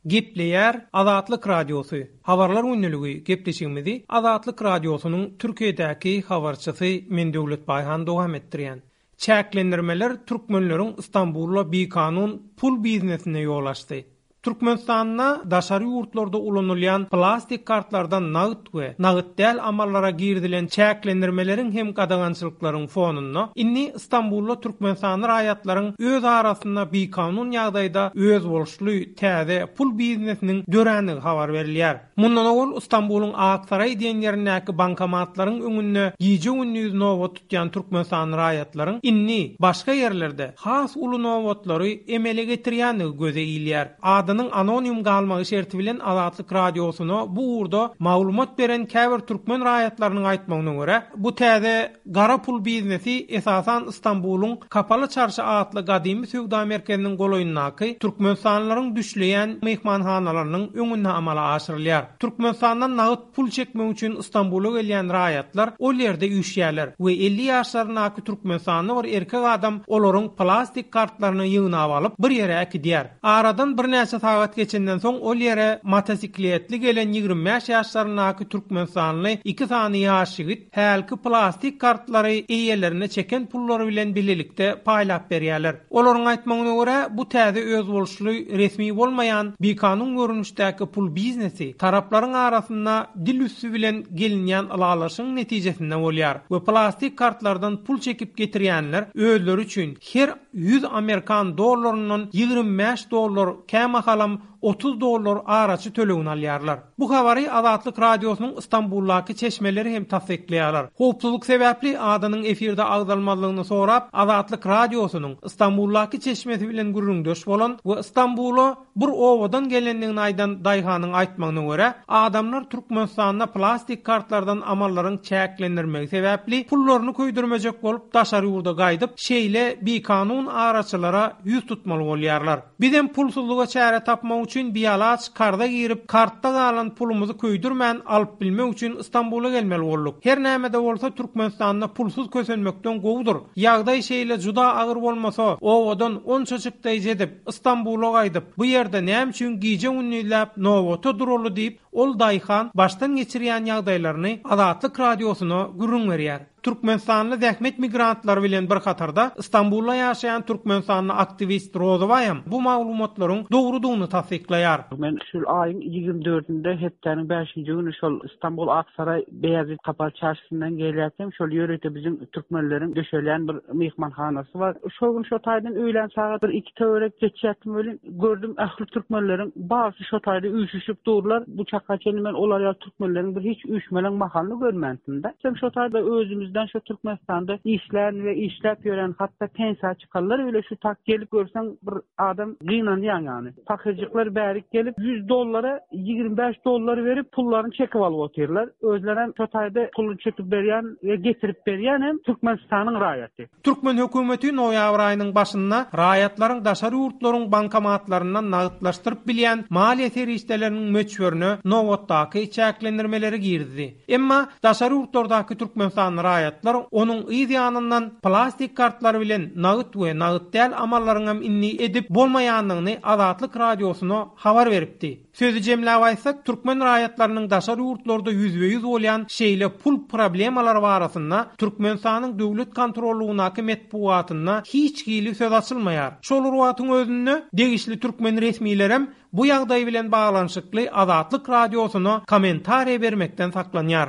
Gepleýär Azatlyk Radiosy, Habarlar gündeligi gepleşigimizi Azatlyk Radiosynyň Türkiýedäki habarçysy men Döwlet Baýhan dowam etdirýän. Çäklendirmeler türkmenleriň Stambulda bikanun pul biznesine ýol açdy. Türkmenistanda daşary ýurtlarda ulanylýan plastik kartlardan nagt we nagt däl amallara girizilen çäklendirmeleriň hem gadagançylyklaryň fonunda, indi Stambulda türkmenistanly raýatlaryň öz arasynda bikanun ýagdaýda özboluşly täze pul biznesiniň dörändigi habar berilýär. Mundan owal Stambulyň Aksaraý diýen ýerindäki bankomatlaryň öňünde gije-gündiz nobat tutýan türkmenistanly raýatlaryň indi başga ýerlerde has uly nobatlary emele getirýändigi göze ilýär. Adynyň anonim galmagy şerti bilen Azatlyk Radiosyna bu ugurda maglumat beren käbir türkmen raýatlarynyň aýtmagyna görä, bu täze gara pul biznesi esasan Stambulyň Kapaly çarşy atly gadymy söwda merkeziniň golaýyndaky türkmenistanlylaryň düşleýän myhmanhanalarynyň öňünde amala aşyrylýar. Türkmenistandan nagt pul çekmek üçin Stambula gelýän raýatlar ol ýerde üýşýärler we 50 ýaşlaryndaky türkmenistanly bir erkek adam olaryň plastik kartlaryny ýygnap alyp, bir ýere äkidýär. Aradan birnäçe sagat geçenden soň ol ýere motosikletli gelen 25 ýaşlaryndaky türkmenistanly iki sany ýaş ýigit hälki plastik kartlary eýelerine çeken pullary bilen bilelikde paýlap berýärler. Olaryň aýtmagyna görä, bu täze özboluşly resmi bolmaýan bikanun görnüşdäki pul biznesi taraplaryň arasynda dil üsti bilen gelinýän ylalaşygyň netijesinde bolýar we plastik kartlardan pul çekip getirýänler özleri üçin her 100 amerikan dollaryndan 25 dollar, kämahalam 30 dollar araçy tölegini alýarlar. Bu habary Azatlyk Radiosynyň Stambuldaky çeşmeleri hem tassyklaýarlar. Howpsuzlyk sebäpli adynyň efirde agzalmazlygyny sorap, Azatlyk Radiosynyň Stambuldaky çeşmesi bilen gürrüňdeş bolan we Stambula bir obadan gelendigini aýdan daýhanyň aýtmagyna görä, adamlar Türkmenistanda plastik kartlardan amallaryň çäklendirmegi sebäpli pullaryny köýdürmejek bolup daşary ýurda gaýdyp, şeýle bikanun araçylara ýüz tutmaly bolýarlar. Bizem pulsuzlyga çäre tapmak üçin bialaç karza girip, kartda galan pulumyzy köýdürmän alyp bilmek üçin Stambula gelmeli bolduk. Her näme-de bolsa Türkmenistanda pulsuz kösenmekden gowudyr. Ýagdaý şeýle juda agyr bolmasa, obadan onça çykdaýjy edip, Stambula gaýdyp, bu ýerde näme üçin gije-gündizläp nobata duraly diýip, ol daýhan başdan geçirýän ýagdaýlaryny Azatlyk Radiosyna gürrüň berýär. Türkmenistanly zähmet migrantlary bilen bir hatarda Stambulda ýaşaýan türkmenistanly aktiwist Rozybaýam bu maglumatlaryň dogrudygyny tassyklaýar. Men şu aýyň ýigrimi dördünde hepdäniň bäşinji güni şol Stambul Aksaraý Beýazit Kapaly çarşysyndan gelýärkäm şol ýörite biziň türkmenleriň döşelýän bir myhmanhanasy bar. Şol gün şo taýdan öýlän sagat bir iki töwerek geçýärdim welin gördüm ähli türkmenleriň barysy şo taýda üýşüşip durlar. Bu çaka çenli men olar ýaly türkmenleriň bir hiç üýşmeleň mahalyny görmändim-de. Hem şo taýda özümizden şu Türkmenistanda işlän we işläp ýören hatda pensiýa çykanlar bile şu tak gelip görseň bir adam gynanýaň ýany. Pahyrjyklar bärik gelip 100 dollara 25 dollar berip pullaryny çekip alyp otyrlar. Özlerem şo taýda puluny çekip berýän we getirip berýän hem Türkmenistanyň raýaty. Türkmen hökümeti noýabr aýynyň başynda raýatlaryň daşary ýurtlaryň bankomatlaryndan nagtlaşdyryp bilýän maliýe serişdeleriniň möçberine nobatdaky çäklendirmeleri girizdi. Emma daşary ýurtlardaky türkmenistanly raýatlar onuň yz ýanyndan plastik kartlary bilen nagt we nagt däl amallaryňam indi edip bolmaýandygyny Azatlyk Radiosyna habar beripdi. Sözi jemläp aýtsak, türkmen raýatlarynyň daşary ýurtlarda ýüzbe-ýüz bolýan şeýle pul problemalary barasynda Türkmenistanyň döwlet kontrollygyndaky metbugatynda hiç hili söz açylmaýar. Şol bir wagtyň özünde, degişli türkmen resmilerem bu ýagdaý bilen baglanyşykly Azatlyk Radiosyna kommentariýa bermekden saklanýar.